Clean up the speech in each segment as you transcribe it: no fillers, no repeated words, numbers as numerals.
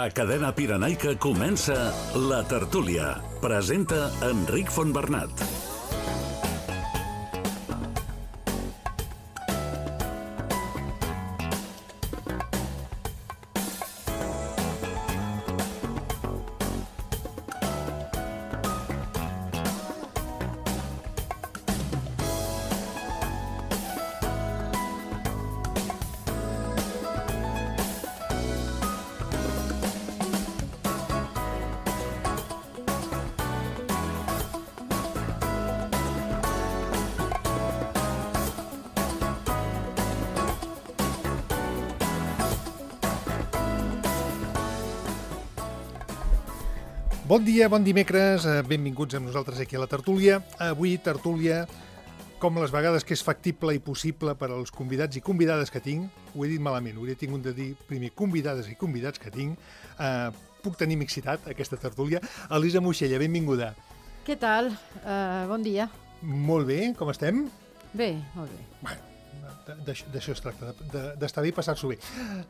A Cadena Pirenaica comença La Tertúlia. Presenta Enric Fontbernat. Bon dia, bon dimecres, benvinguts amb nosaltres aquí a la tertúlia. Avui, tertúlia, com les vegades que és factible i possible per als convidats i convidades que tinc. Ho he dit malament, hauria tingut de dir primer convidades i convidats que tinc. Puc tenir mixitat, aquesta tertúlia. Elisa Moixella, benvinguda. Què tal? Bon dia. Molt bé, com estem? Bé, molt bé. Bueno, d'això es tracta, d'estar bé i passar-s'ho bé.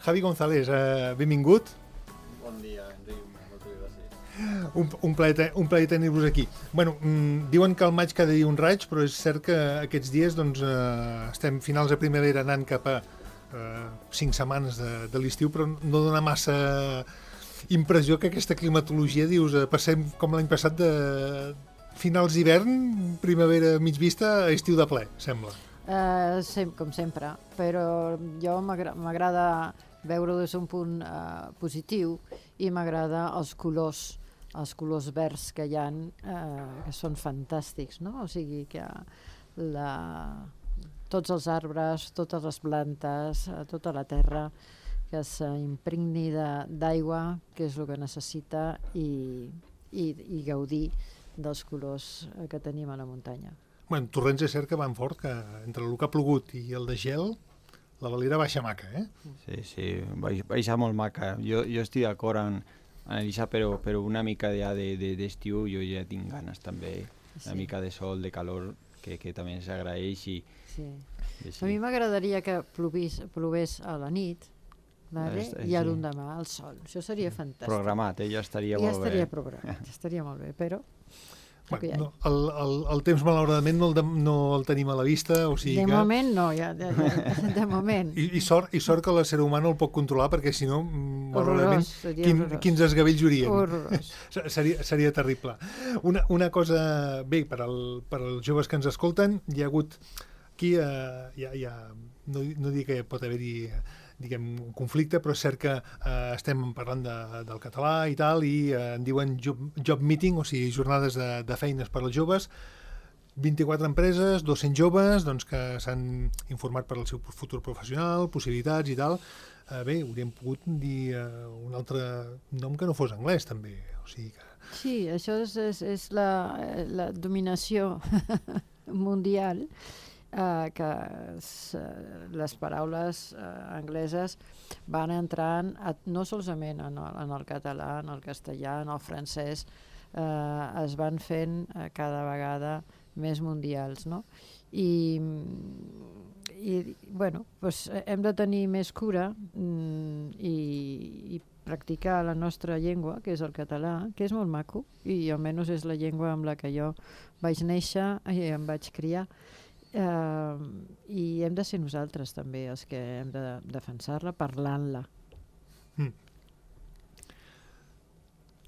Javi González, benvingut. Bon dia, Enric. Un plaer tenir-vos aquí. Bueno, diuen que al maig cada dia un raig, però és cert que aquests dies doncs, estem finals de primavera anant cap a 5 setmanes de l'estiu, però no dona massa impressió que aquesta climatologia, dius, passem com l'any passat de finals d'hivern, primavera mig vista, a estiu de ple, sembla. Com sempre, però jo m'agrada veure-ho des d'un punt positiu i m'agrada els colors verds que hi ha, que són fantàstics, no? O sigui que tots els arbres, totes les plantes, tota la terra, que s'impregni d'aigua, que és el que necessita, i gaudir dels colors que tenim a la muntanya. Bueno, Torrents és cert que van fort, que entre el que ha plogut i el de gel, la Valira baixa maca, eh? Sí, baixa molt maca. Jo estic d'acord amb Elisa, però una mica d'estiu jo ja tinc ganes també. Una mica de sol, de calor, que també s'agraeix. Sí. A mi m'agradaria que plovés a la nit, i a l'endemà al sol. Això seria fantàstic. Programat, ja estaria molt bé. Ja estaria programat, ja estaria molt bé, però... Bueno, el temps malauradament no el tenim a la vista, o sigui de moment no, de moment. I sort que l'ésser humà no el pot controlar, perquè si no, malauradament, quins esgavells haurien. Horrorós. Seria terrible. Una cosa, bé, per als joves que ens escolten, hi ha hagut aquí, no dic que pot haver-hi un conflicte, però és cert que estem parlant del català i tal, i en diuen job meeting, o sigui, jornades de feines per als joves. 24 empreses, 200 joves, doncs, que s'han informat per al seu futur professional, possibilitats i tal. Bé, hauríem pogut dir un altre nom que no fos anglès, també. O sigui que... Sí, això és la dominació mundial, que les paraules angleses van entrant no solament en el català, en el castellà, en el francès, es van fent cada vegada més mundials, no? I bueno, doncs hem de tenir més cura i practicar la nostra llengua, que és el català, que és molt maco, i almenys és la llengua amb la que jo vaig néixer i em vaig criar. I hem de ser nosaltres també els que hem de defensar-la parlant-la.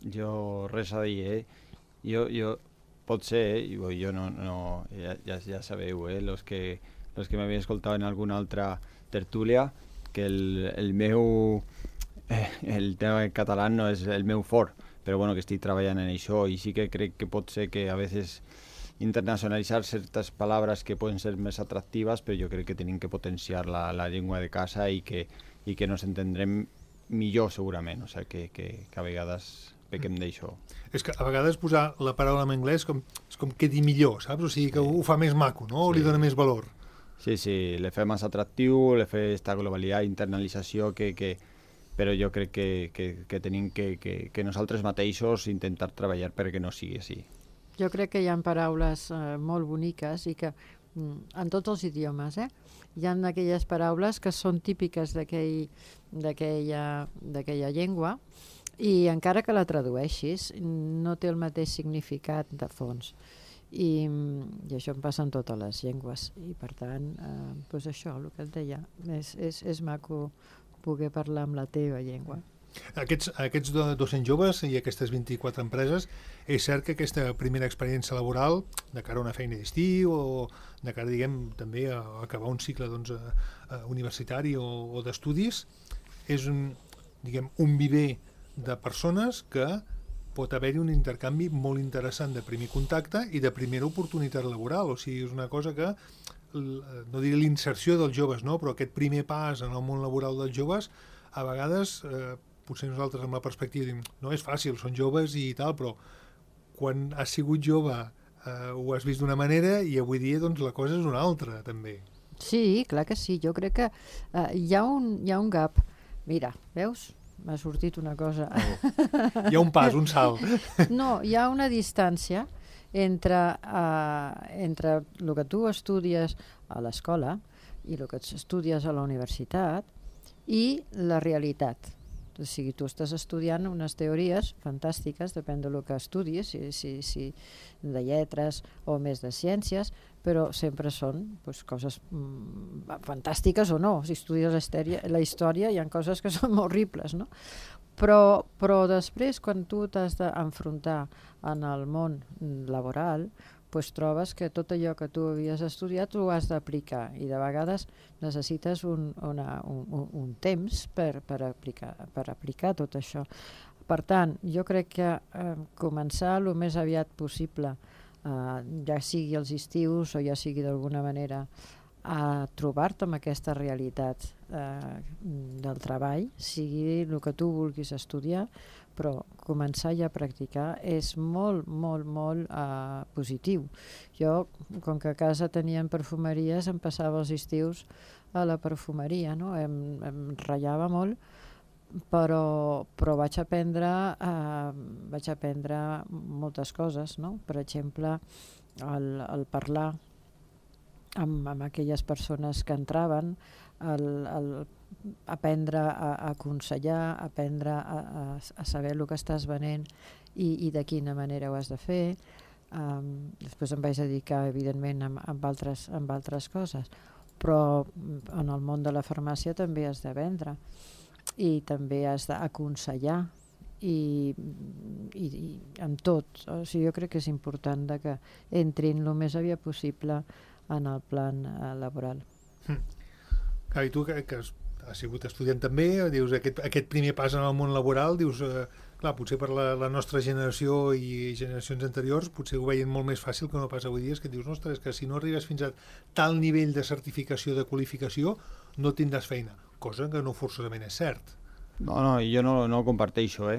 Jo res a dir, jo potser, jo no ja sabeu, los que m'havien escoltat en alguna altra tertúlia, que el tema català no és el meu fort, però bueno, que estic treballant en això, i sí que crec que pot ser que a vegades internacionalitzar certes paraules que poden ser més atractives, però jo crec que tenim que potenciar la llengua de casa i que nos entendrem millor segurament, o sigui que a vegades pequem d'això. És que a vegades posar la paraula en anglès és com quedi millor, saps? O sigui que ho fa més maco, no? O li dona més valor. Sí, le fa més atractiu, le fa aquesta globalitat, internalització, però jo crec que tenim que nosaltres mateixos intentar treballar perquè no sigui així. Jo crec que hi ha paraules molt boniques i que en tots els idiomes, hi ha aquelles paraules que són típiques d'aquella llengua I encara que la tradueixis, no té el mateix significat de fons. I això em passa en totes les llengües. I per tant, doncs això, el que et deia, és maco poder parlar amb la teva llengua. Aquests 200 joves i aquestes 24 empreses, és cert que aquesta primera experiència laboral, de cara a una feina d'estiu o de cara, diguem, també a acabar un cicle universitari o d'estudis, és un viver de persones que pot haver-hi un intercanvi molt interessant de primer contacte i de primera oportunitat laboral. O sigui, és una cosa que, no diré l'inserció dels joves, no? Però aquest primer pas en el món laboral dels joves, a vegades, potser nosaltres amb la perspectiva diem, no és fàcil, són joves i tal, però quan has sigut jove ho has vist d'una manera i avui dia doncs, la cosa és una altra, també. Sí, clar que sí. Jo crec que hi ha un gap. Mira, veus? M'ha sortit una cosa. Hi ha un pas, un salt. No, hi ha una distància entre el que tu estudies a l'escola i el que estudies a la universitat i la realitat. O sigui, tu estàs estudiant unes teories fantàstiques, depèn del que estudies, si de lletres o més de ciències, però sempre són coses fantàstiques o no. Si estudies la història hi ha coses que són horribles, no? Però després, quan tu t'has d'enfrontar en el món laboral, trobes que tot allò que tu havies estudiat ho has d'aplicar i de vegades necessites un temps per aplicar tot això. Per tant, jo crec que començar el més aviat possible, ja sigui els estius o ja sigui d'alguna manera, a trobar-te amb aquesta realitat del treball, sigui el que tu vulguis estudiar, però començar ja a practicar és molt, molt, molt positiu. Jo, com que a casa tenien perfumeries, em passava els estius a la perfumeria, no? Em ratllava molt, però vaig aprendre moltes coses, no? Per exemple, el parlar amb aquelles persones que entraven, aprendre a aconsellar, aprendre a saber el que estàs venent i de quina manera ho has de fer. Després em vaig dedicar, evidentment, amb altres coses, però en el món de la farmàcia també has de vendre i també has d'aconsellar i amb tot. O sigui, jo crec que és important que entrin el més aviat possible en el plan laboral. I tu, que has sigut estudiant també, dius, aquest primer pas en el món laboral, dius, clar, potser per la nostra generació i generacions anteriors potser ho veien molt més fàcil que no pas avui dia, que dius, ostres, que si no arribes fins a tal nivell de certificació, de qualificació, no tindràs feina, cosa que no forçosament és cert. No, jo no comparteixo,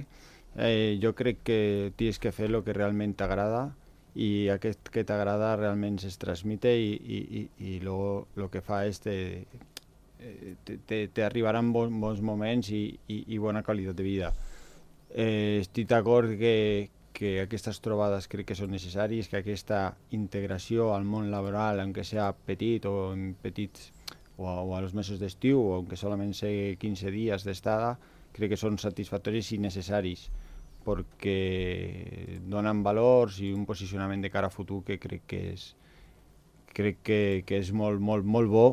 jo crec que tens que fer el que realment t'agrada i aquest que t'agrada realment es transmite i luego el que fa és t'arribaran bons moments i bona qualitat de vida. Estic d'acord que aquestes trobades crec que són necessàries, que aquesta integració al món laboral, aunque sea petit o en petits o a los mesos d'estiu o aunque solament sigui 15 dies d'estada, crec que són satisfactoris i necessaris perquè donen valors i un posicionament de cara a futur que crec que és molt, molt, molt bo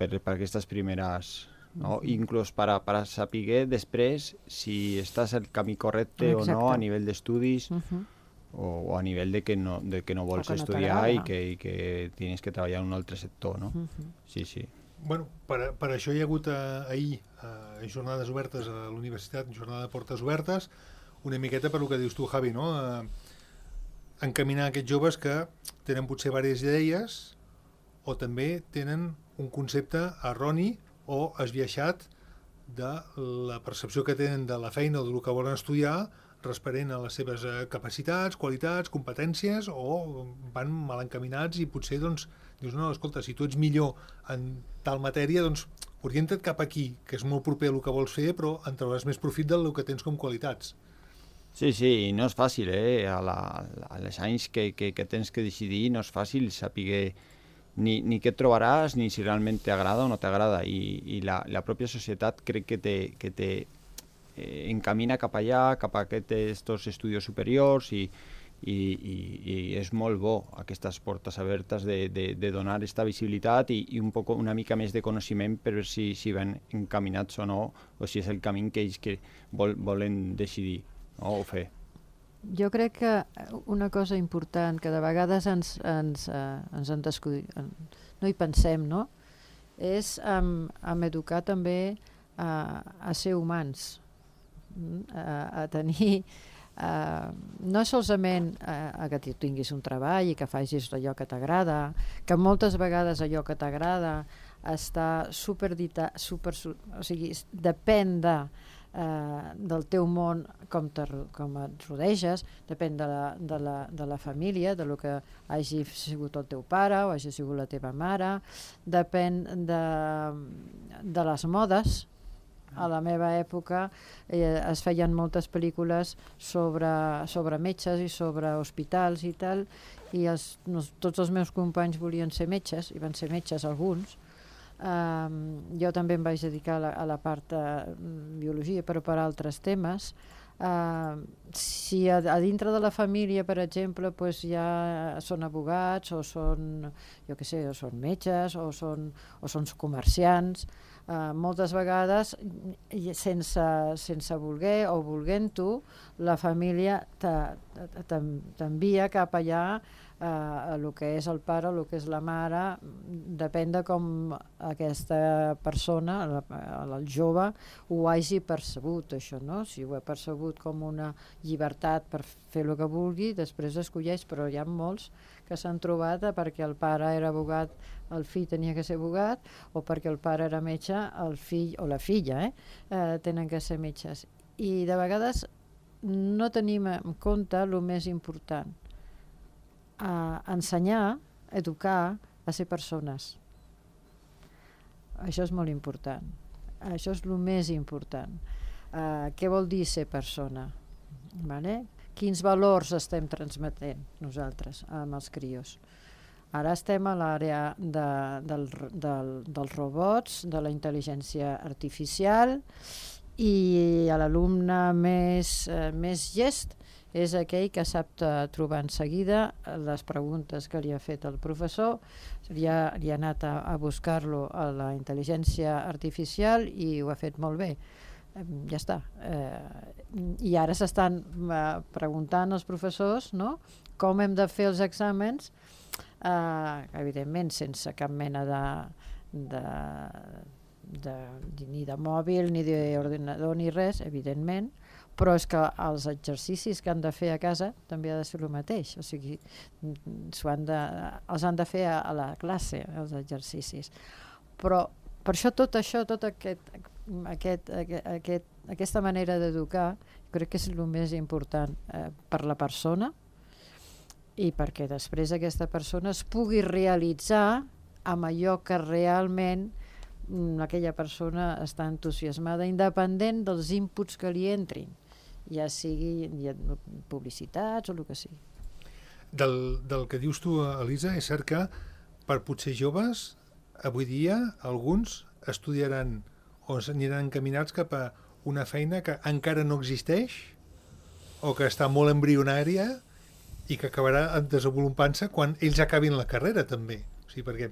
per aquestes primeres, no? Inclús per saber després si estàs al camí correcte o no a nivell d'estudis o a nivell de que no vols estudiar i que tens que treballar en un altre sector, no? Sí. Bueno, per això hi ha hagut ahir jornades obertes a la universitat, jornada de portes obertes, una miqueta per el que dius tu, Javi, no? Encaminar aquests joves que tenen potser diverses idees o també tenen un concepte erroni o esbiaixat de la percepció que tenen de la feina o del que volen estudiar responent a les seves capacitats, qualitats, competències, o van mal encaminats i potser doncs, dius, no, escolta, si tu ets millor en tal matèria, doncs orienta't cap aquí, que és molt proper a el que vols fer, però en trauràs més profit del que tens com qualitats. Sí, no és fàcil, a les anys que tens que decidir no és fàcil saber ni què trobaràs, ni si realment t'agrada o no t'agrada, i la pròpia societat crec que encamina cap allà, cap a aquests estudis superiors i és molt bo aquestes portes obertes de donar aquesta visibilitat i una mica més de coneixement per veure si van encaminats o no, o si és el camí que ells volen decidir, no, o fer. Jo crec que una cosa important que de vegades ens en no hi pensem, no? És en educar també a ser humans, a tenir no solament que tu tinguis un treball i que facis allò que t'agrada, que moltes vegades allò que t'agrada està o sigui, depèn del teu món, com et rodeges, depèn de la família, de lo que hagi sigut el teu pare o hagi sigut la teva mare, depèn de les modes. A la meva època es feien moltes pel·lícules sobre metges i sobre hospitals i tal, i tots els meus companys volien ser metges, i van ser metges alguns. Jo també em vaig dedicar a la part de biologia, però per altres temes. Si a dintre de la família, per exemple, pues ja són abogats o són, jo què sé, o són metges o són comerciants, moltes vegades sense voler o volent-ho, la família t'envia cap allà a el que és el pare o el que és la mare, depèn de com aquesta persona, el jove, ho hagi percebut, això, no? Si ho ha percebut com una llibertat per fer el que vulgui, després escolleix, però hi ha molts que s'han trobat perquè el pare era abogat, el fill tenia que ser abogat, o perquè el pare era metge, el fill o la filla tenen que ser metges. I de vegades no tenim en compte el més important, ensenyar, educar a ser persones. Això és molt important. Això és el més important. Què vol dir ser persona? Vale? Quins valors estem transmetent nosaltres amb els crios? Ara estem a l'àrea dels robots, de la intel·ligència artificial, i l'alumne més llest és aquell que sap trobar en seguida les preguntes que li ha fet el professor, li ha anat a buscar-lo a la intel·ligència artificial i ho ha fet molt bé. Ja està. I ara s'estan preguntant els professors, no?, com hem de fer els exàmens, evidentment sense cap mena ni de mòbil, ni d'ordinador, ni res, evidentment, però és que els exercicis que han de fer a casa també ha de ser el mateix, o sigui, els han de fer a la classe, els exercicis. Però per això tota aquesta manera d'educar crec que és el més important per la persona, i perquè després aquesta persona es pugui realitzar amb allò que realment aquella persona està entusiasmada, independent dels inputs que li entrin, ja sigui publicitats o el que sigui. Del que dius tu, Elisa, és cert que per potser joves, avui dia alguns estudiaran o s'aniran encaminats cap a una feina que encara no existeix o que està molt embrionària i que acabarà desenvolupant-se quan ells acabin la carrera també. O sigui, perquè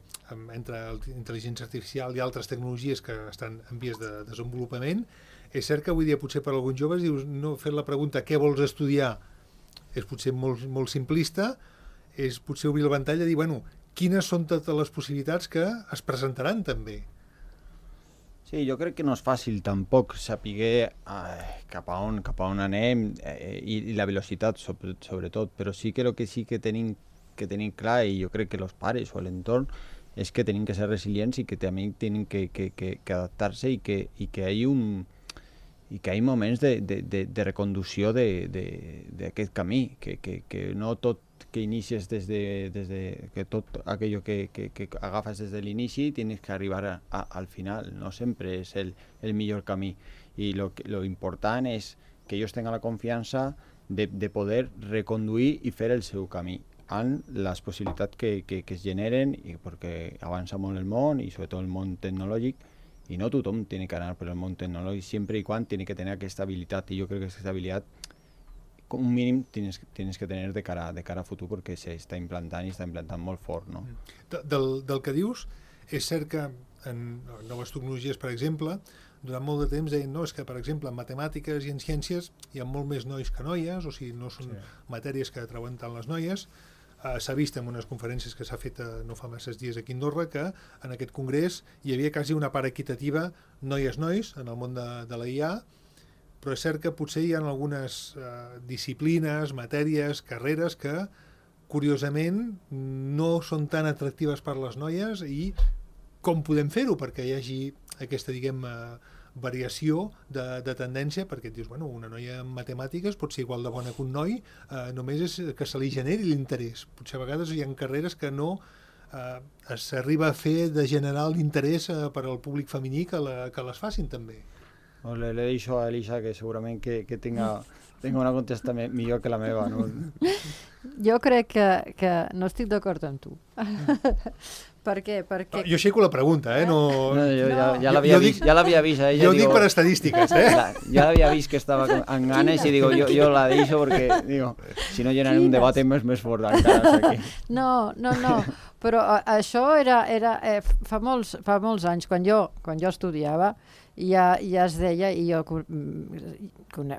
entre intel·ligència artificial i altres tecnologies que estan en vies de desenvolupament, és cert que avui dia potser per alguns joves dius, no, fer la pregunta què vols estudiar és potser molt simplista, és potser obrir el ventall a dir, bueno, quines són totes les possibilitats que es presentaran també. Sí, jo crec que no és fàcil tampoc saber cap a on anem i la velocitat sobretot, però sí que el que sí que tenim clar, i jo crec que els pares o l'entorn, és que tenim que ser resilients i que també tenim que adaptar-se i que hi ha moments de reconducció d'aquest camí, que no tot que inicies que tot aquello que agafes des de l'inici tienes que arribar al final, no sempre és el millor camí, i lo important és que ells tinguin la confiança de poder reconduir i fer el seu camí amb les possibilitats que es generen, perquè avança molt el món i sobretot el món tecnològic, y no tothom tiene que anar por el món tecnològic, siempre y cuando tiene que tener aquesta habilitat, y yo creo que aquesta habilitat com un mínim tienes que tener de cara a futur, perquè s'està implantant i està implantant molt fort, no? Del que dius, és cert que en noves tecnologies, per exemple, durant molt de temps deien, no, és que, per exemple, en matemàtiques i en ciències hi ha molt més nois que noies, o sigui, no són matèries que treuen tant les noies. S'ha vist en unes conferències que s'ha fet no fa masses dies aquí a Andorra que en aquest congrés hi havia quasi una part equitativa noies-nois en el món de la IA, però és cert que potser hi ha algunes disciplines, matèries, carreres que, curiosament, no són tan atractives per les noies i com podem fer-ho perquè hi hagi aquesta, diguem, variació de tendència, perquè et dius, bueno, una noia en matemàtiques pot ser igual de bona que un noi, només és que se li generi l'interès. Potser a vegades hi ha carreres que no s'arriba a fer de generar l'interès per al públic femení que les facin també. Le deixo a Elisa que segurament que tenga una contesta millor que la meva, no? Jo crec que no estic d'acord amb tu. Per què? Perquè... Jo aixeco la pregunta, No, ja l'havia vist. Jo ho dic per estadístiques, Ja l'havia vist que estava amb ganes i digo, jo la deixo perquè, digo, si no generem un debat més fort encara aquí. No, però això era fa molts anys, quan jo estudiava, ja es deia, i jo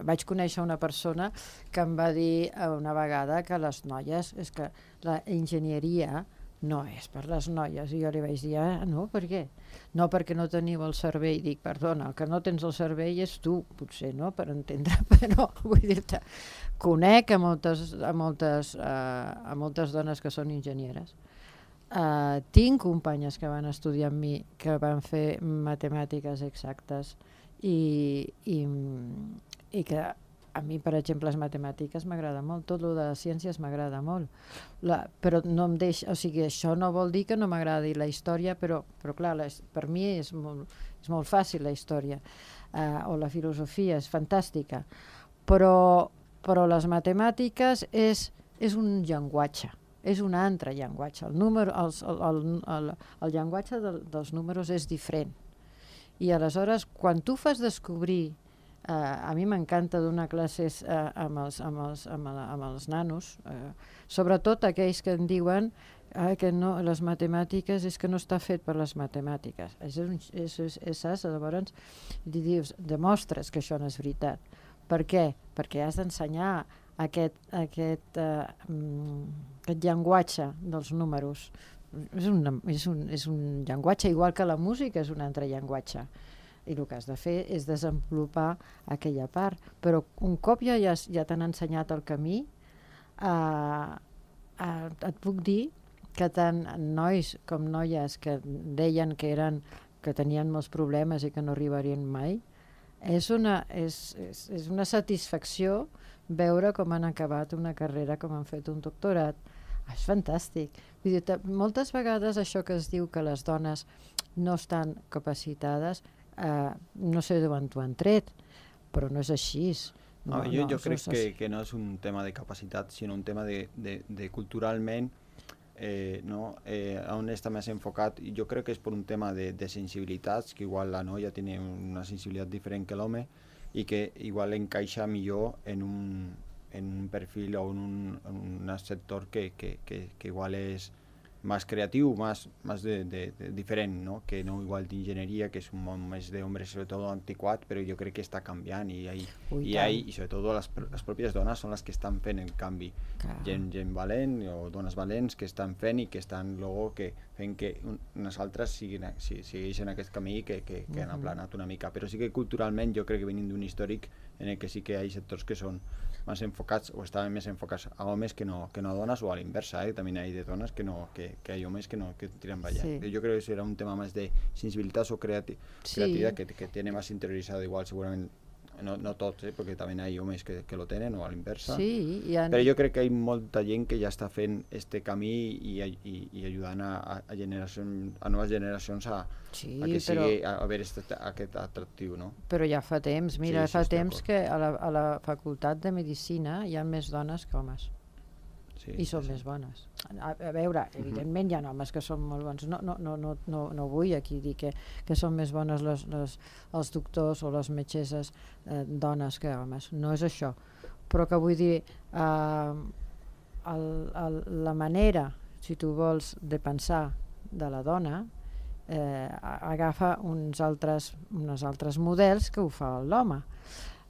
vaig conèixer una persona que em va dir una vegada que les noies, és que la enginyeria no és per les noies, i jo li vaig dir, no, per què? No, perquè no teniu el cervell. Dic, perdona, el que no tens el cervell és tu, potser, no?, per entendre, però vull dir-te, conec a moltes dones que són enginyeres. Tinc companyes que van estudiar amb mi, que van fer matemàtiques exactes i que a mi, per exemple, les matemàtiques m'agrada molt, tot el de les ciències m'agrada molt, però no em deixa, o sigui, això no vol dir que no m'agradi la història, però clar, per mi és molt fàcil la història, o la filosofia, és fantàstica, però les matemàtiques és un llenguatge, és un altre llenguatge, el llenguatge dels números és diferent, i aleshores, quan tu fas descobrir, a mi m'encanta donar classes amb els nanos, sobretot aquells que em diuen que no, les matemàtiques és que no està fet per les matemàtiques. Saps? Llavors dius, demostres que això no és veritat. Per què? Perquè has d'ensenyar aquest llenguatge dels números. És un llenguatge igual que la música és un altre llenguatge. I el que has de fer és desenvolupar aquella part. Però un cop ja t'han ensenyat el camí, et puc dir que tant nois com noies que deien que tenien molts problemes i que no arribarien mai, és una satisfacció veure com han acabat una carrera, com han fet un doctorat. És fantàstic. Vull dir, moltes vegades això que es diu que les dones no estan capacitades, no sé d'on t'ho han tret, però no és així. Jo crec que no és un tema de capacitat, sinó un tema de culturalment on està més enfocat. Jo crec que és per un tema de sensibilitats, que igual la noia té una sensibilitat diferent que l'home i que igual encaixa millor en un perfil o en un sector que igual és más creativo, más diferente, ¿no? Que no igual de ingeniería, que es un món més d'homes, sobre todo antiquat, però jo crec que està canviant i sobre tot les pròpies dones són les que estan fent el canvi. Gent valent o dones valents que estan fent i que estan fent que unes altres segueixen aquest camí que han aplanat una mica. Però sí que culturalment jo crec que venim d'un històric en el que sí que hi ha sectors que són més enfocats o estaven més enfocats a homes que no a dones, o a l'inversa, també hi ha de dones que hi ha homes que tiren ballar. Sí. Jo crec que serà un tema més de sensibilitat o creativitat que tiene més interiorizado, igual segurament no tots, perquè també hi ha homes que lo tenen o a l'inversa. Sí, però jo crec que hi ha molta gent que ja està fent este camí i ajudant a noves generacions a que sigui a veure aquest atractiu, no? Però ja fa temps, fa temps que a la facultat de Medicina hi ha més dones que homes. i són més bones. A veure, evidentment hi ha homes que són molt bons. No vull aquí dir que són més bones els doctors o les metgesses dones que homes. No és això. Però que vull dir, la manera, si tu vols, de pensar de la dona agafa uns altres models que ho fa l'home.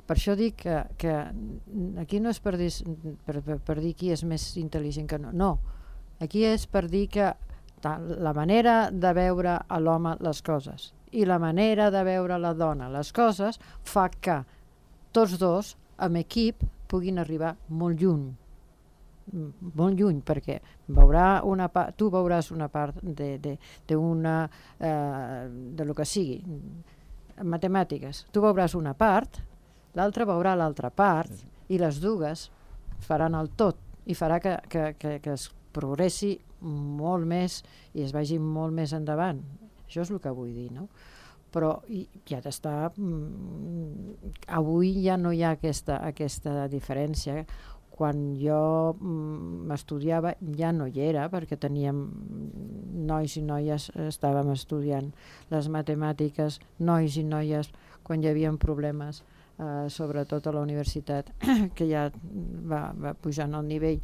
Per això dic que aquí no és per dir qui és més intel·ligent que no. No, aquí és per dir que la manera de veure a l'home les coses i la manera de veure a la dona les coses fa que tots dos, amb equip, puguin arribar molt lluny, perquè tu veuràs una part de lo que sigui, matemàtiques, tu veuràs una part, l'altre veurà l'altra part i les dues faran el tot i farà que es progressi molt més i es vagi molt més endavant. Això és el que vull dir, no? Però ja d'estar... Avui ja no hi ha aquesta diferència. Quan jo m'estudiava ja no hi era, perquè teníem nois i noies, estàvem estudiant les matemàtiques, nois i noies, quan hi havia problemes, sobretot a la universitat, que ja va pujant el nivell,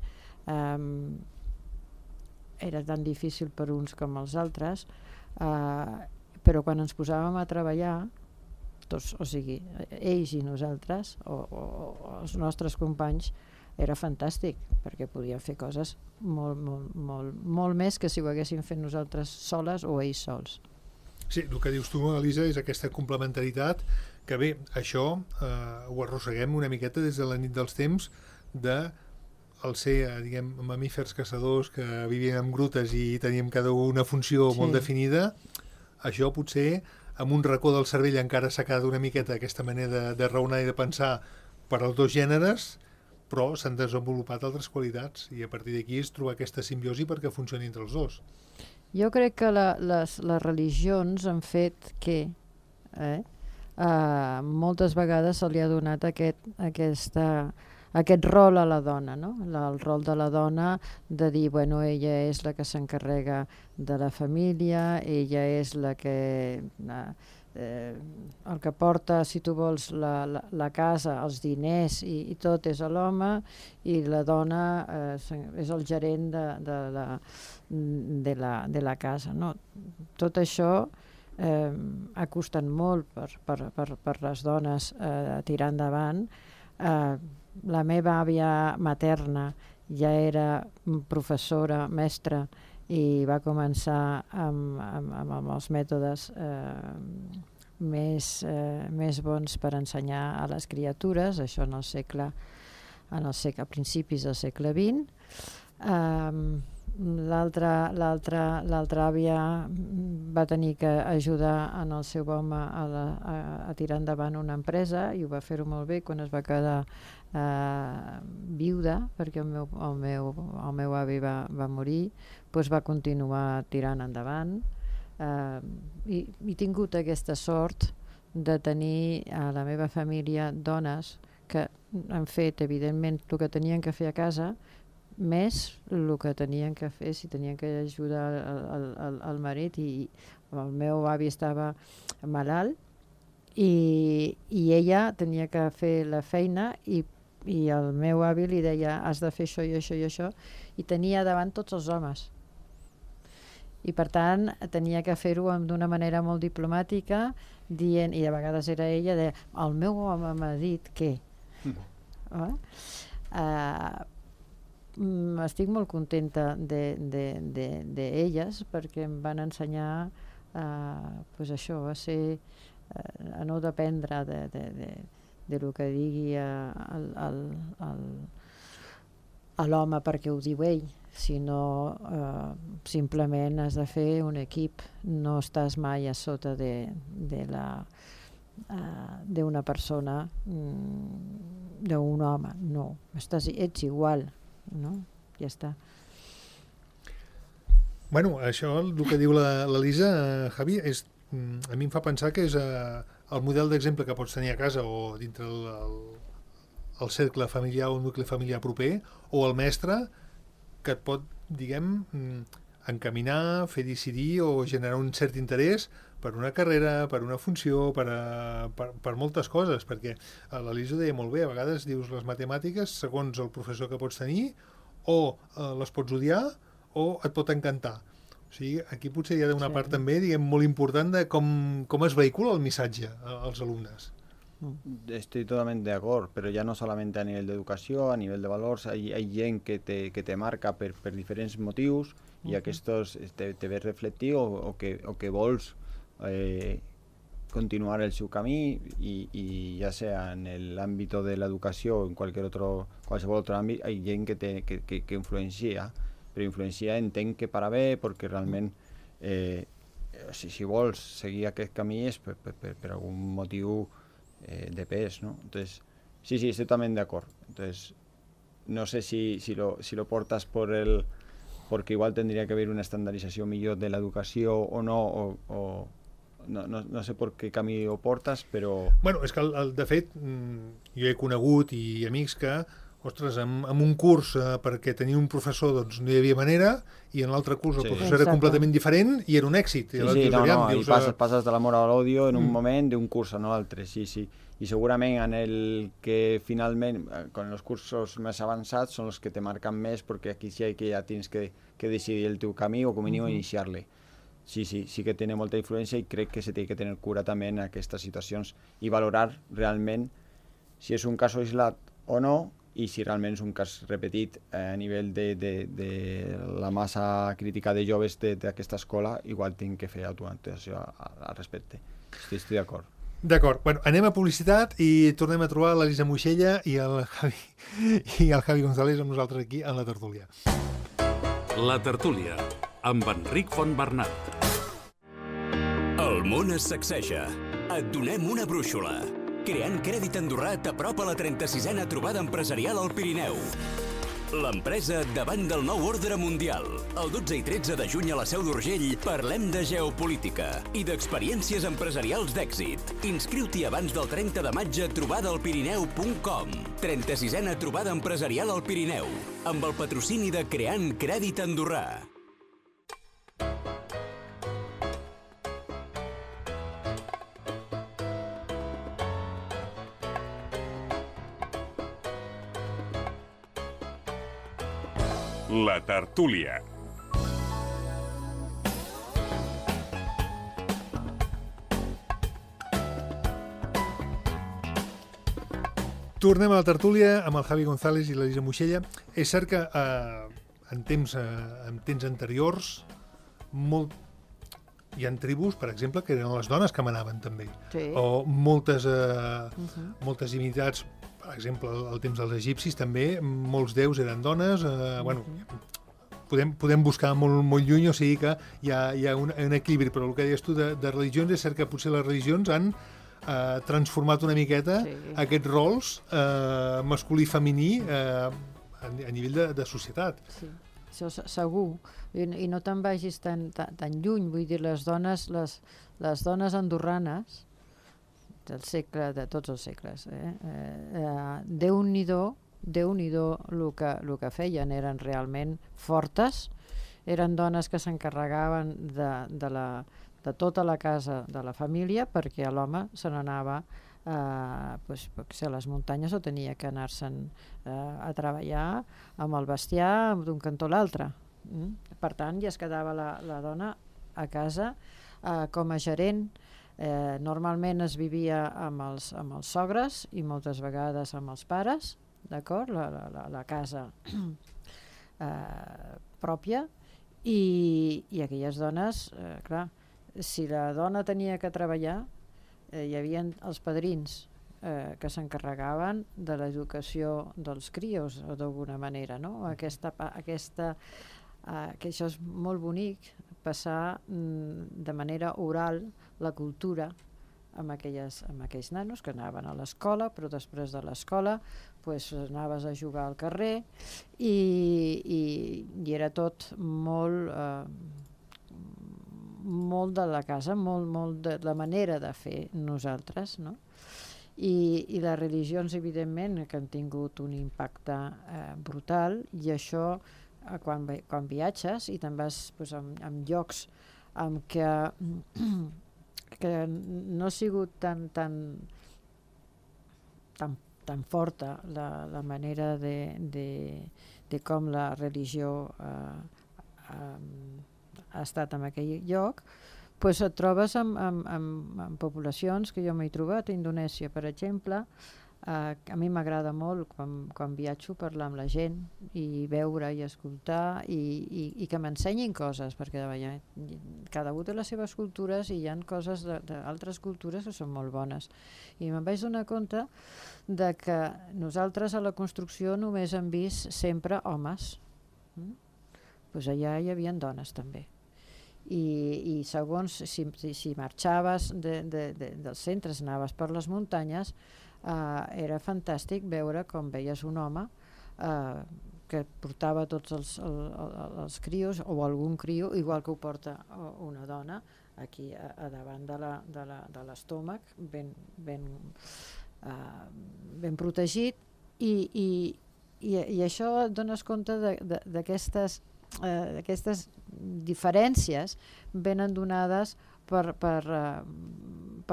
era tan difícil per uns com els altres, però quan ens posàvem a treballar, tots, o sigui, ells i nosaltres, o els nostres companys, era fantàstic, perquè podíem fer coses molt més que si ho haguéssim fet nosaltres soles o ells sols. Sí, el que dius tu, Elisa, és aquesta complementaritat que bé, això ho arrosseguem una miqueta des de la nit dels temps de el ser, diguem, mamífers caçadors que vivien en grutes i teníem cada una funció molt definida. Això potser amb un racó del cervell encara s'ha quedat una miqueta aquesta manera de raonar i de pensar per als dos gèneres, però s'han desenvolupat altres qualitats i a partir d'aquí és trobar aquesta simbiosi perquè funcioni entre els dos. Jo crec que les religions han fet que moltes vegades se li ha donat aquest rol a la dona, no? El rol de la dona de dir, bueno, ella és la que s'encarrega de la família, ella és la que... el que porta, si tu vols, la casa, els diners i tot és a l'home, i la dona és el gerent de la casa, no? Tot això ha costat molt per les dones tirar endavant. La meva àvia materna ja era professora, mestra, i va començar amb els mètodes més bons per ensenyar a les criatures, això a principis del segle XX. L'altra àvia va tenir que ajudar en el seu home a tirar endavant una empresa i ho va fer-ho molt bé. Quan es va quedar viuda, perquè el meu avi va morir, doncs va continuar tirant endavant. I he tingut aquesta sort de tenir a la meva família dones que han fet, evidentment, el que tenien que fer a casa, més el que tenien que fer si tenien que ajudar el marit, i el meu avi estava malalt i ella tenia que fer la feina i el meu avi li deia has de fer això i això i això, i tenia davant tots els homes i per tant tenia que fer-ho d'una manera molt diplomàtica, dient, i a vegades era ella, de, el meu home m'ha dit que estic molt contenta d'elles perquè em van ensenyar pues això, a no dependre de lo que digui l'home perquè ho diu ell, sinó simplement has de fer un equip, no estàs mai a sota d'una persona, d'un home, no, ets igual, no? Ja està. Bueno, això, el que diu l'Elisa, Javi, a mi em fa pensar que és el model d'exemple que pots tenir a casa o dintre el cercle familiar o el nucli familiar proper, o el mestre que et pot, diguem, encaminar, fer decidir o generar un cert interès per una carrera, per una funció, per moltes coses, perquè l'Elisa ho deia molt bé, a vegades dius les matemàtiques, segons el professor que pots tenir, o les pots odiar o et pot encantar. O sigui, aquí potser hi ha una part també, diguem, molt important de com es vehicula el missatge als alumnes. Estoy totalmente de acuerdo, pero ya no solamente a nivel de educación, a nivel de valores, hay gent que te marca per diferents motius i aquests te ves reflectit o que vols continuar el seu camí i ja sea en l'àmbit de l'educació o en qualsevol otro àmbit, hi ha gent que influencia, però influencia entenc que para bé, perquè realment si vols seguir aquest camí és per algun motiu de pes, ¿no? Entonces, sí, estoy también de acuerdo. Entonces, no sé si lo portas porque igual tendría que haber una estandarización millor de l'educació o no, o no sé per què camí ho portes, però... Bueno, és que, de fet, jo he conegut i amics que, ostres, amb un curs perquè tenia un professor doncs no hi havia manera, i en l'altre curs el professor era completament diferent i era un èxit. I passes de l'amor a l'odio en un moment d'un curs a l'altre, sí. I segurament en el que finalment, con els cursos més avançats, són els que te marquen més, perquè aquí sí que ja tens que decidir el teu camí o com a mínim iniciar-le. Sí que té molta influència i crec que se té que tenir cura també en aquestes situacions i valorar realment si és un cas aïllat o no, i si realment és un cas repetit a nivell de la massa crítica de joves d'aquesta escola, igual tinc que fer autoanotació al respecte. Estic d'acord. D'acord. Bueno, anem a publicitat i tornem a trobar l'Elisa Moixella i el Javi González amb nosaltres aquí en la tertúlia. La tertúlia, amb Enric Fontbernat. El món es sacseja. Et donem una brúixola. Creant Crèdit Andorrà t'apropa la 36a trobada empresarial al Pirineu. L'empresa davant del nou ordre mundial. El 12 i 13 de juny a la Seu d'Urgell parlem de geopolítica i d'experiències empresarials d'èxit. Inscriu-t'hi abans del 30 de maig a trobadalpirineu.com. 36a trobada empresarial al Pirineu, amb el patrocini de Creant Crèdit Andorrà. La tertúlia. Tornem a la tertúlia amb el Javi González i l'Elisa Moixella. És cert que en temps anteriors hi ha tribus, per exemple, que eren les dones que manaven també. Sí. O moltes divinitats, per exemple, al temps dels egipcis també, molts déus eren dones. Bueno, podem buscar molt lluny, o sigui que hi ha un equilibri, però el que deies tu de religions, és cert que potser les religions han transformat una miqueta aquests rols masculí i femení a nivell de societat. Sí, això segur. I no te'n vagis tan lluny, vull dir, les dones andorranes del segle, de tots els segles, Déu-n'hi-do el que feien, eren realment fortes, eren dones que s'encarregaven de tota la casa de la família, perquè l'home se n'anava a les muntanyes o tenia que anar-se'n a treballar amb el bestiar d'un cantó a l'altre. Per tant, ja es quedava la dona a casa com a gerent. Normalment es vivia amb els sogres i moltes vegades amb els pares, d'acord? La casa pròpia, i aquelles dones, clar, si la dona tenia que treballar, hi havia els padrins que s'encarregaven de l'educació dels crios, d'alguna manera, no? Que això és molt bonic, passar de manera oral la cultura amb aquells nanos que anaven a l'escola, però després de l'escola anaves a jugar al carrer i era tot molt de la casa, molt de la manera de fer nosaltres, no? I les religions, evidentment, que han tingut un impacte brutal, i això quan viatges i te'n vas pues, en llocs amb que no ha sigut tan forta la manera de com la religió ha estat en aquell lloc, pues et trobes amb poblacions que jo m'he trobat a Indonèsia, per exemple. A mi m'agrada molt quan viatjo parlar amb la gent i veure i escoltar i que m'ensenyin coses, perquè cada un té les seves cultures i hi ha coses d'altres cultures que són molt bones. I me'n vaig donar compte de que nosaltres a la construcció només hem vist sempre homes. Pues allà hi havia dones també. I segons si marxaves dels centres, anaves per les muntanyes, era fantàstic veure com veies un home que portava tots els crios o algun crio, igual que ho porta una dona aquí a davant de l'estómac, ben protegit, i això et dones compte d'aquestes diferències venen donades per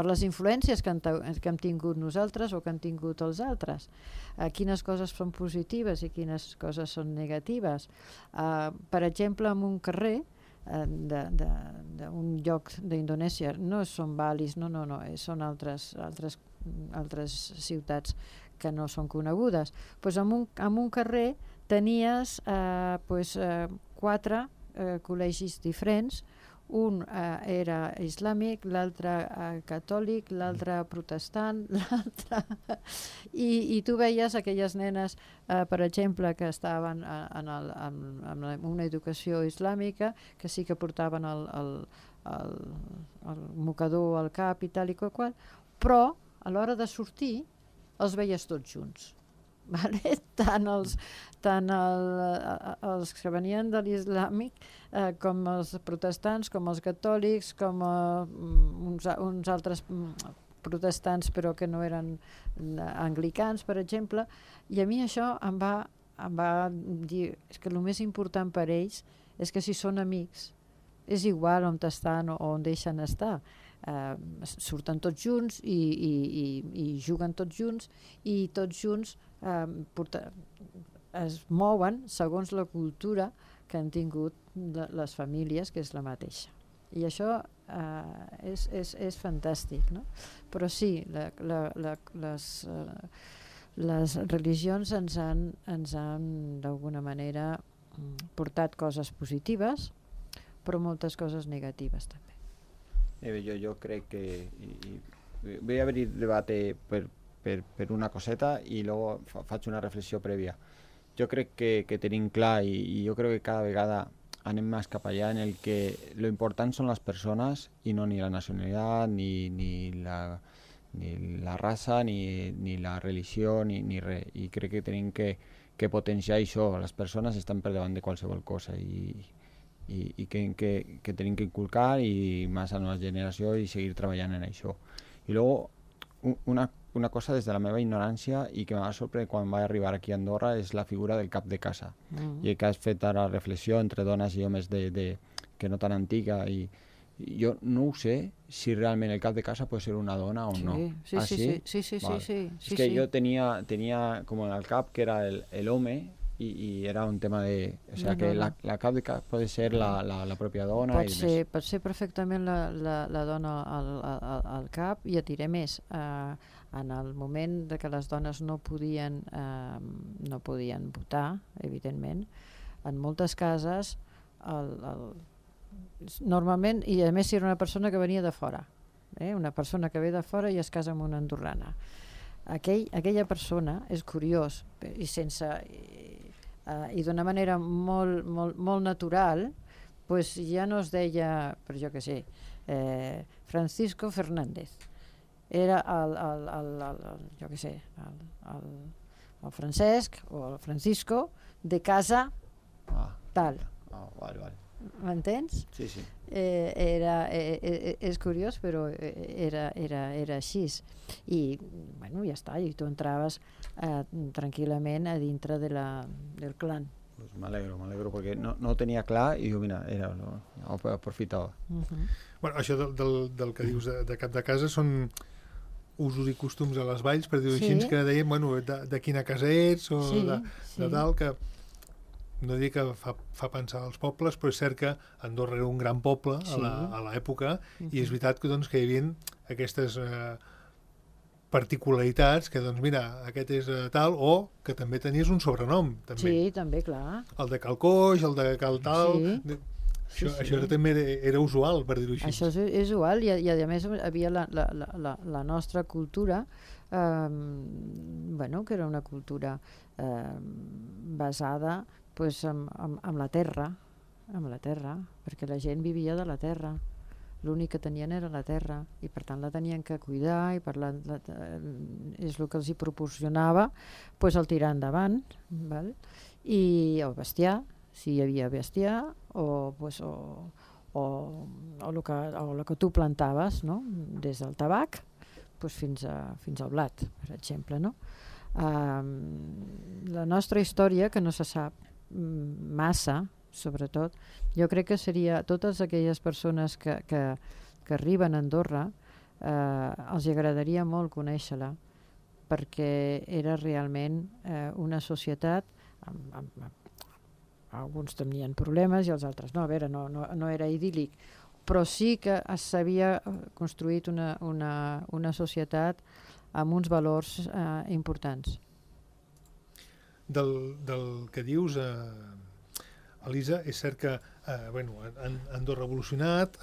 les influències que hem tingut nosaltres o que han tingut els altres. Quines coses són positives i quines coses són negatives. Per exemple, en un carrer d'un lloc d'Indonèsia, no són Balis, no, són altres ciutats que no són conegudes. Pues en un carrer tenies 4 col·legis diferents. Un era islàmic, l'altre catòlic, l'altre protestant, i tu veies aquelles nenes, per exemple, que estaven en una educació islàmica, que sí que portaven el mocador al cap i tal i qual, però a l'hora de sortir els veies tots junts. Vale? Tant els que venien de l'islàmic com els protestants, com els catòlics, com uns altres protestants però que no eren anglicans, per exemple, i a mi això em va dir que el més important per ells és que si són amics és igual on estan o on deixen estar. Surten tots junts i juguen tots junts i tots junts es mouen segons la cultura que han tingut les famílies, que és la mateixa. I això és fantàstic, no? Però sí, les religions ens han d'alguna manera portat coses positives, però moltes coses negatives també. Yo creo que voy a abrir debate per una coseta y luego faig una reflexió prèvia. Jo crec que tenim clar i jo crec que cada vegada anem més cap allà en el que lo important són les persones i no ni la nacionalitat, ni la raça, ni la religió, ni res. I crec que tenim que potenciar això. Les persones estan per davant de qualsevol cosa i que tenim que inculcar i més a la nova generació i seguir treballant en això. I luego una cosa des de la meva ignorància i que m'ha sorprès quan vaig arribar aquí a Andorra és la figura del cap de casa. I que has fet ara reflexió entre dones i homes que no tan antiga i jo no ho sé si realment el cap de casa pot ser una dona o no. Sí. És que jo tenia com en el cap que era el home y era un tema de... O sea, que la cap de cap puede ser la pròpia dona. Pot ser perfectament la dona al cap, i et diré més. En el moment de que les dones no podien votar, evidentment, en moltes cases, normalment, i a més si era una persona que venia de fora, una persona que ve de fora i es casa amb una andorrana. Aquella persona, és curiós, i d'una manera molt natural, pues ja no es deia, per jo que sé, Francisco Fernández. Era jo que sé, el Francesc o el Francisco de casa tal. Vale. M'entens? Sí. És curiós, però era així. I, bueno, ja està, i tu entraves tranquil·lament a dintre del clan. Pues m'alegro, perquè no ho tenia clar i diu, mira, ho aprofitava. Bueno, això del que dius de cap de casa són usos i costums a les valls, per dir-ho així, que dèiem, bueno, de quina casa ets o de tal, que no dic que fa pensar als pobles, però és cert que Andorra era un gran poble a l'època i és veritat que, doncs, que hi havia aquestes particularitats que, doncs, mira, aquest és tal, o que també tenies un sobrenom, també. Sí, també, clar. El de Cal Coix, el de Cal tal... Això també era usual, per dir-ho així. Això és usual i a més havia la nostra cultura, que era una cultura basada en la terra, perquè la gent vivia de la terra. L'únic que tenien era la terra i per tant la tenien que cuidar i és el que els hi proporcionava el tirar endavant, val? I el bestiar, si hi havia bestiar o el que tu plantaves, no? Des del tabac fins al blat, per exemple, no? La nostra història, que no se sap massa, sobretot, jo crec que seria totes aquelles persones que arriben a Andorra, els agradaria molt conèixer-la, perquè era realment una societat alguns tenien problemes i els altres no, a veure, no era idíl·lic, però sí que s'havia construït una societat amb uns valors importants. Del que dius, Elisa, és cert que Andorra ha evolucionat,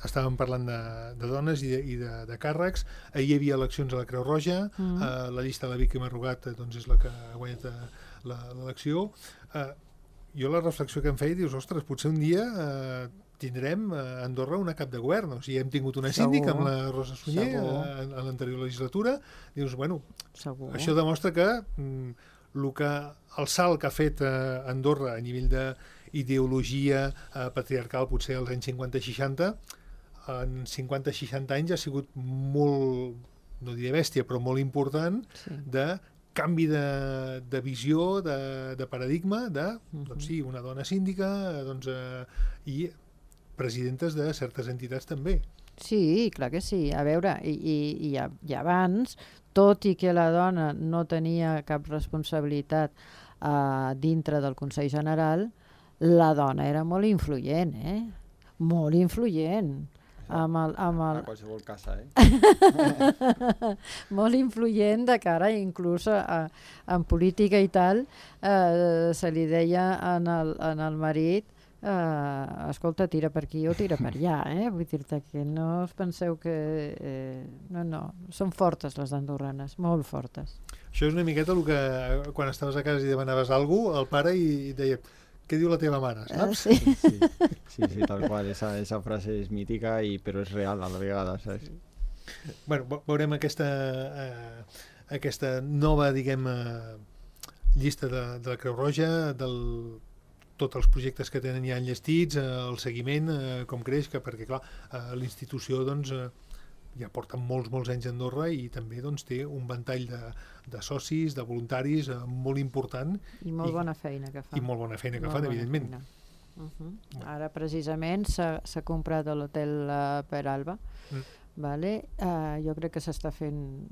estàvem parlant de dones i de càrrecs, ahir hi havia eleccions a la Creu Roja, la llista de la Víctima Rugat és la que ha guanyat l'elecció. Jo la reflexió que em feia, dius, ostres, potser un dia tindrem a Andorra una cap de govern, o sigui, hem tingut una síndica amb la Rosa Sunyer en l'anterior legislatura, dius, bueno, això demostra que el salt que ha fet Andorra a nivell d'ideologia patriarcal potser als anys 50-60, en 50-60 anys ha sigut molt, no diré bèstia, però molt important de canvi de visió, de paradigma, doncs sí, una dona síndica i presidentes de certes entitats també. Sí, clar que sí. A veure, i abans, tot i que la dona no tenia cap responsabilitat dintre del Consell General, la dona era molt influent, molt influent. A qualsevol casa, molt influent de cara inclús en política i tal, se li deia en el marit escolta, tira per aquí o tira per allà, vull dir-te que no us penseu que no, són fortes les andorranes, molt fortes. Això és una miqueta el que quan estaves a casa i demanaves alguna cosa, el pare i deia, què diu la teva mare, saps? Sí, tal qual, esa frase és mítica però és real a la vegada, saps? Bueno, veurem aquesta nova, diguem, llista de la Creu Roja, tots els projectes que tenen ja enllestits, el seguiment, com creix, perquè clar, l'institució doncs ja porta molts anys a Andorra i també doncs, té un ventall de socis, de voluntaris molt important. I molt bona feina que fan. I molt bona feina que fan, evidentment. Ara precisament s'ha comprat l'hotel Peralba, vale? Jo crec que s'està fent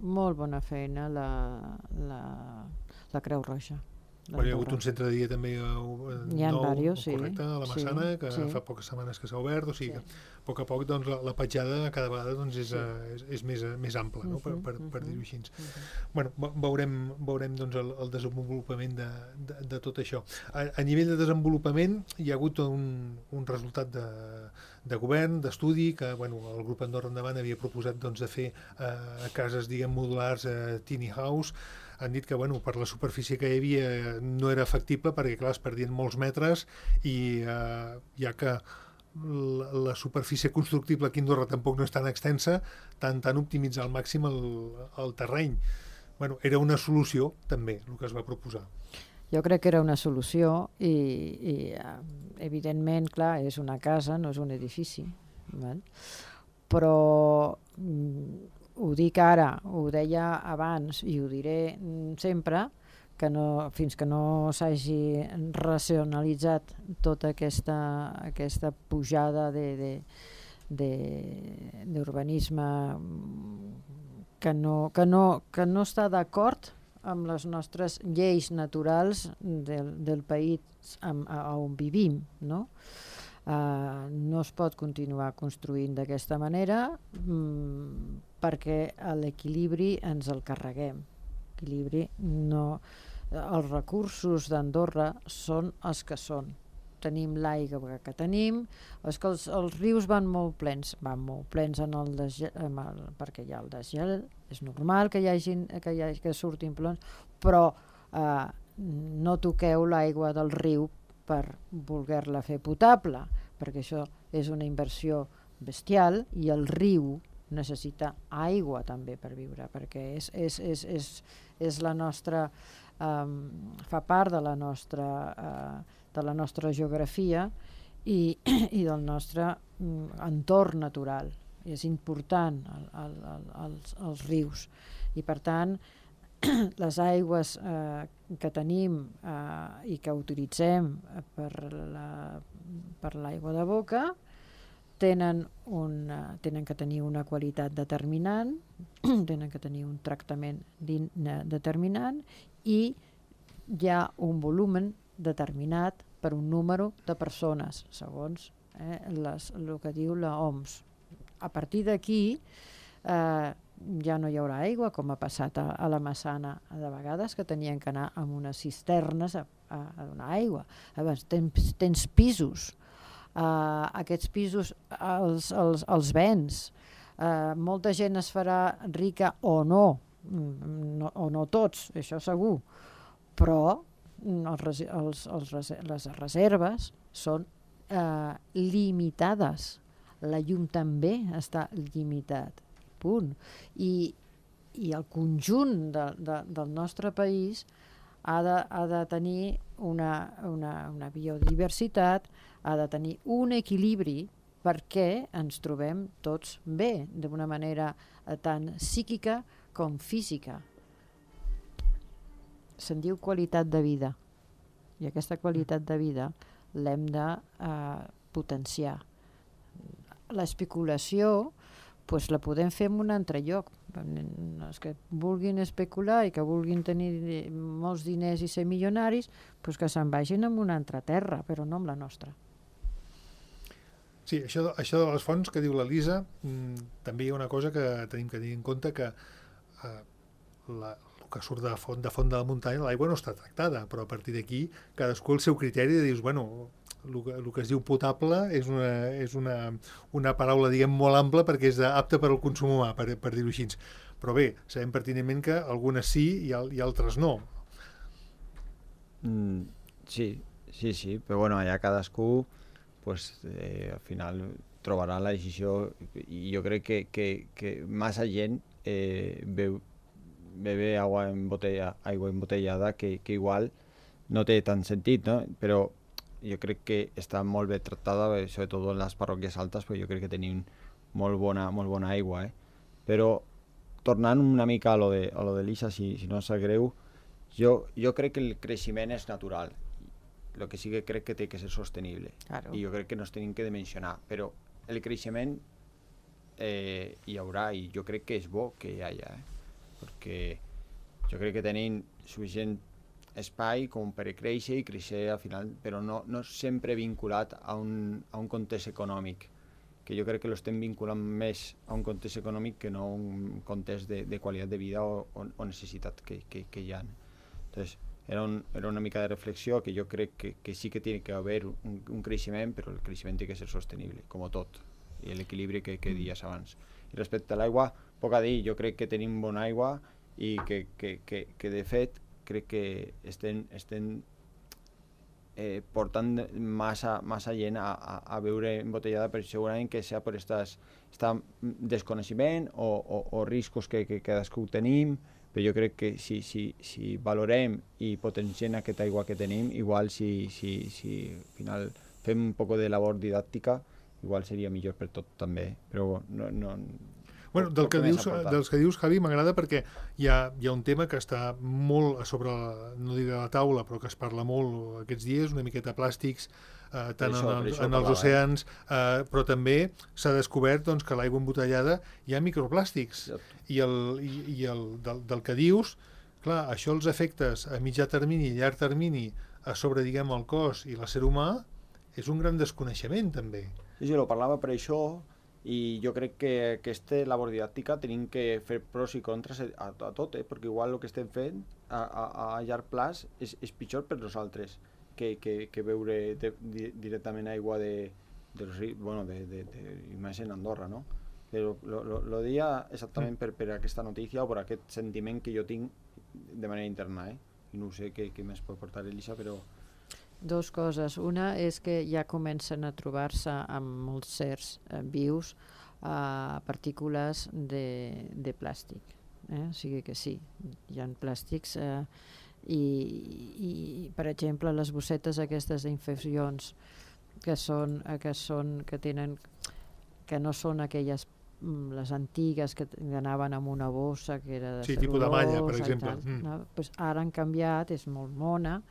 molt bona feina la Creu Roja. Hi ha hagut un centre de dia també nou, correcte, a la Massana, que fa poques setmanes que s'ha obert, o sigui que a poc doncs, la petjada cada vegada doncs, és més ampla, no? per dir-ho així. Bueno, veurem doncs, el desenvolupament de tot això. A nivell de desenvolupament hi ha hagut un resultat de govern, d'estudi, que el grup Andorra Endavant havia proposat doncs, de fer cases, diguem, modulars, tiny house. Han dit que per la superfície que hi havia no era factible perquè clar, es perdien molts metres i ja que la superfície constructible aquí a Andorra tampoc no és tan extensa, tant optimitzar al màxim el terreny. Era una solució també el que es va proposar. Jo crec que era una solució i evidentment, clar, és una casa, no és un edifici, val? Però ho dic ara, ho deia abans i ho diré sempre, fins que no s'hagi racionalitzat tota aquesta pujada d'urbanisme que no està d'acord amb les nostres lleis naturals del país on vivim, no? No es pot continuar construint d'aquesta manera perquè l'equilibri ens el carreguem. Els recursos d'Andorra són els que són. Tenim l'aigua que tenim, és que els rius van molt plens perquè hi ha el desgel, és normal que surtin plens, però no toqueu l'aigua del riu per voler-la fer potable, perquè això és una inversió bestial i el riu necessita aigua també per viure, perquè és la nostra, fa part de la nostra geografia i del nostre entorn natural. És important els rius i per tant les aigües que tenim i que utilitzem per l'aigua de boca tenen que tenir una qualitat determinant, tenen que tenir un tractament determinant i hi ha un volum determinat per un número de persones, segons el que diu l'OMS. A partir d'aquí ja no hi haurà aigua, com ha passat a la Massana de vegades, que tenien que anar amb unes cisternes a donar aigua. Llavors, tens pisos. Aquests pisos els vens. Molta gent es farà rica o no tots, això segur, però les reserves són limitades. La llum també està limitat. Punt. I el conjunt del nostre país ha de tenir una biodiversitat, ha de tenir un equilibri perquè ens trobem tots bé, d'una manera tant psíquica com física. Se'n diu qualitat de vida i aquesta qualitat de vida l'hem de potenciar. L'especulació la podem fer en un altre lloc. Els que vulguin especular i que vulguin tenir molts diners i ser milionaris, que se'n vagin a una altra terra, però no amb la nostra. Sí, això de les fonts que diu l'Elisa, també hi ha una cosa que tenim que tenir en compte, que el que surt de font de la muntanya, l'aigua no està tractada, però a partir d'aquí cadascú el seu criteri de dius, bueno, el que es diu potable és una paraula, diguem, molt ampla perquè és apta per al consum humà, per dir-ho així. Però bé, sabem pertinentment que algunes sí i altres no. Sí, però bueno, allà cadascú al final trobarà la decisió i jo crec que massa gent bebe aigua embotellada que igual no té tant sentit, no? Però jo crec que està molt bé tractada, sobretot en les parròquies altes, perquè jo crec que tenim molt bona aigua. Però tornant una mica a lo de l'Isa, si no sap greu, jo crec que el creixement és natural. El que sí que crec que té que ser sostenible. Claro. I jo crec que no es tenim que dimensionar. Però el creixement hi haurà i jo crec que és bo que hi hagi. Perquè jo crec que tenim suficient espai com per créixer i créixer al final, però no sempre vinculat a un context econòmic, que jo crec que l'estem vinculant més a un context econòmic que no a un context de qualitat de vida o necessitat que hi ha. Entonces, era una mica de reflexió que jo crec que sí que té que haver un creixement, però el creixement té que ser sostenible, com tot, i l'equilibri que deies abans. I respecte a l'aigua, poc a dir, jo crec que tenim bona aigua i que de fet crec que estem portant massa gent a beure embotellada, però segurament que sigui per aquest desconeixement o riscos que cadascú tenim, però jo crec que si valorem i potenciem aquesta aigua que tenim, igual si al final fem un poc de labor didàctica, igual seria millor per tot també, però no... Bueno, dels que dius, Javi, m'agrada perquè hi ha un tema que està molt a sobre, no diré la taula, però que es parla molt aquests dies, una miqueta plàstics, tant en els oceans, però també s'ha descobert doncs, que l'aigua embotellada hi ha microplàstics. I del que dius, clar, això els efectes a mitjà termini i llarg termini a sobre, diguem, el cos i l'ésser humà és un gran desconeixement, també. Sí, lo parlava per això, i jo crec que aquesta labor didàctica tenim que fer pros i contres a tot, perquè igual el que estem fent a llarg plaç és pitjor per nosaltres que beure directament aigua imagina Andorra, no? Però lo dia exactament per aquesta notícia o per aquest sentiment que jo tinc de manera interna, i no sé què més pot portar Elisa, però... Dos coses. Una és que ja comencen a trobar-se amb molts certs vius partícules de plàstic. O sigui que sí, hi ha plàstics i per exemple, les bossetes aquestes d'infeccions que no són aquelles les antigues que anaven amb una bossa que era de tipus de malla, per exemple. No? Pues ara han canviat, és molt mona,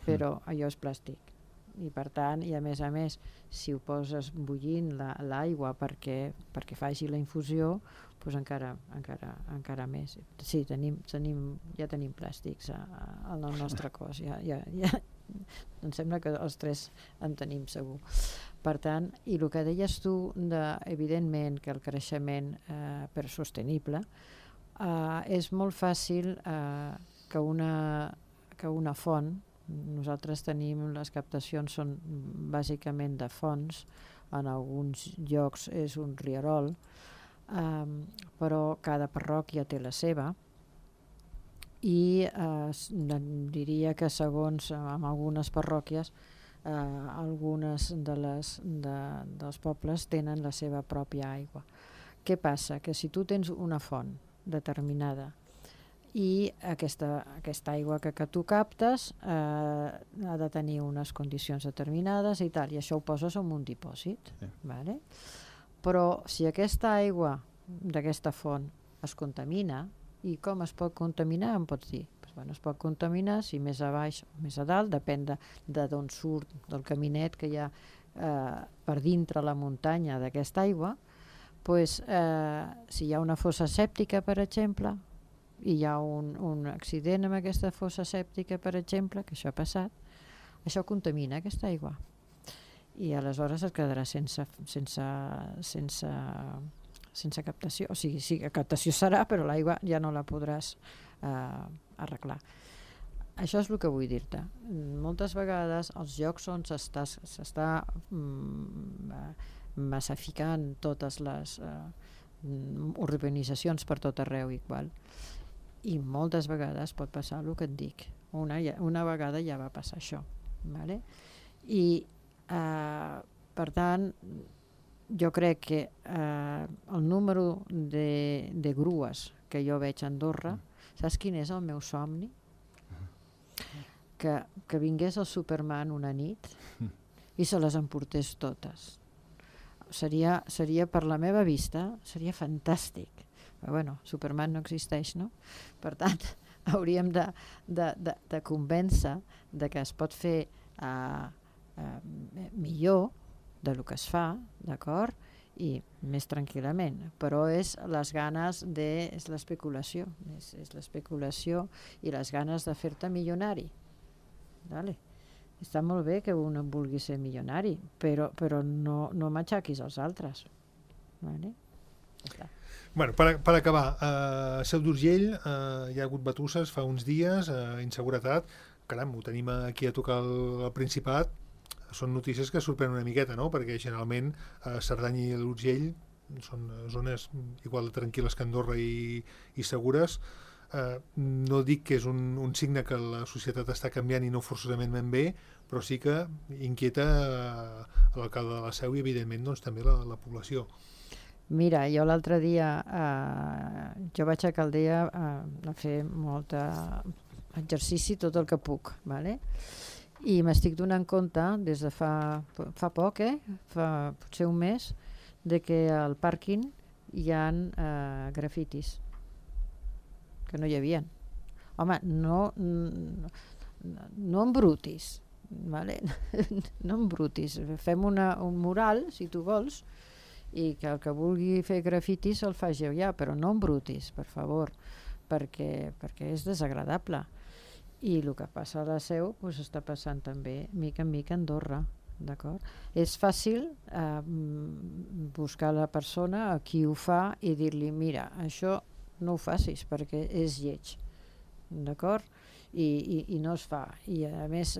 però allò és plàstic. I per tant, i a més, si ho poses bullint l'aigua perquè faci la infusió, doncs encara més. Sí, ja tenim plàstics al nostre cos. Em sembla que els tres en tenim segur. Per tant, i el que deies tu, evidentment que el creixement per sostenible és molt fàcil que una font, nosaltres tenim, les captacions són bàsicament de fonts, en alguns llocs és un rierol, però cada parròquia té la seva, i diria que segons en algunes parròquies algunes dels pobles tenen la seva pròpia aigua. Què passa? Que si tu tens una font determinada i aquesta aigua que tu captes ha de tenir unes condicions determinades i tal, i això ho poses en un dipòsit, vale? Però si aquesta aigua d'aquesta font es contamina, i com es pot contaminar, em pots dir? Es pot contaminar si més a baix o més a dalt, depèn d'on surt, del caminet que hi ha per dintre la muntanya d'aquesta aigua. Si hi ha una fossa sèptica, per exemple, i hi ha un accident amb aquesta fossa sèptica, per exemple, que això ha passat, això contamina aquesta aigua. I aleshores es quedarà sense captació. O sigui, sí, captació serà, però l'aigua ja no la podràs arreglar. Això és el que vull dir-te. Moltes vegades els llocs on s'està massificant totes les urbanitzacions per tot arreu igual, i moltes vegades pot passar el que et dic. Una vegada ja va passar això, vale? I per tant jo crec que el número de grues que jo veig a Andorra, saps quin és el meu somni? Que vingués el Superman una nit i se les emportés totes. Seria per la meva vista, seria fantàstic. Però bueno, Superman no existeix, no? Per tant, hauríem de convèncer de que es pot fer millor del que es fa, d'acord? I més tranquil·lament, però és les ganes és l'especulació, és l'especulació i les ganes de fer-te milionari. Vale. Està molt bé que un vulgui ser milionari, però no m'aixaquis als altres. Vale? Ja està. Bueno, per acabar, a Seu d'Urgell hi ha hagut batusses fa uns dies, inseguretat, caram, ho tenim aquí a tocar el Principat. Són notícies que sorprenen una miqueta, no? Perquè generalment Cerdanya i l'Urgell són zones igual de tranquil·les que Andorra i segures. No dic que és un signe que la societat està canviant i no forçosament ben bé, però sí que inquieta l'alcalde de la Seu i evidentment doncs, també la població. Mira, jo l'altre dia jo vaig a Caldea a fer molt exercici tot el que puc, vale? I m'estic donant compte des de fa poc, fa potser un mes, de que al pàrquing hi ha grafitis que no hi havia. Home, no embrutis, vale? No embrutis. Fem un mural, si tu vols, i que el que vulgui fer grafitis el faci ja, però no embrutis, per favor, perquè és desagradable. I el que passa a la Seu està passant també mica en mica a Andorra, d'acord? És fàcil buscar la persona a qui ho fa i dir-li, mira, això no ho facis perquè és lleig, d'acord? I no es fa, i a més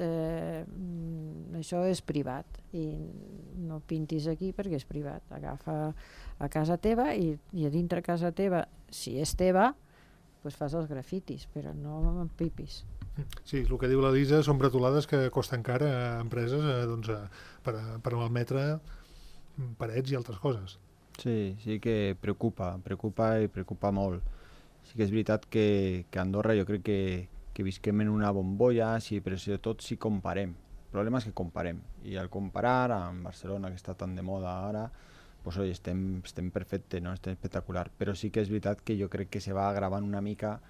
això és privat i no pintis aquí perquè és privat. Agafa a casa teva i a dintre casa teva, si és teva, doncs fas els grafitis, però no empipis. Sí, el que diu l'Elisa són bretolades que costen cara a empreses per malmetre parets i altres coses. Sí que preocupa i preocupa molt. Sí que és veritat que a Andorra jo crec que visquem en una bombolla, però sobretot si comparem. El problema és que comparem. I al comparar amb Barcelona, que està tan de moda ara, doncs estem perfecte, no? Estem espectacular. Però sí que és veritat que jo crec que se va agravant una mica,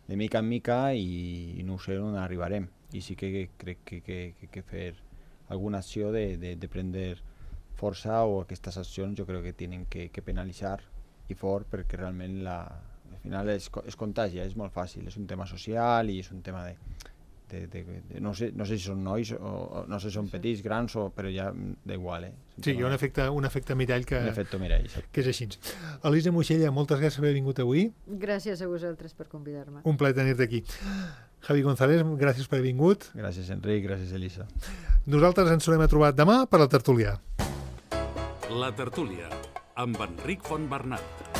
de mica en mica, i no sé on arribarem. I sí que crec que fer alguna acció de prendre força, o aquestes accions jo crec que tenen que penalitzar i fort, perquè realment al final es contagia, és molt fàcil, és un tema social i és un tema de no sé si són nois o no sé si són petits, grans, però ja d'igual. Sí, hi ha un efecte mirall que és així. Elisa Moixella, moltes gràcies per haver vingut avui. Gràcies a vosaltres per convidar-me. Un plaer tenir-te aquí. Javi González, gràcies per haver vingut. Gràcies, Enric, gràcies, Elisa. Nosaltres ens tornem a trobar demà per la tertúlia. La tertúlia, amb Enric Fontbernat.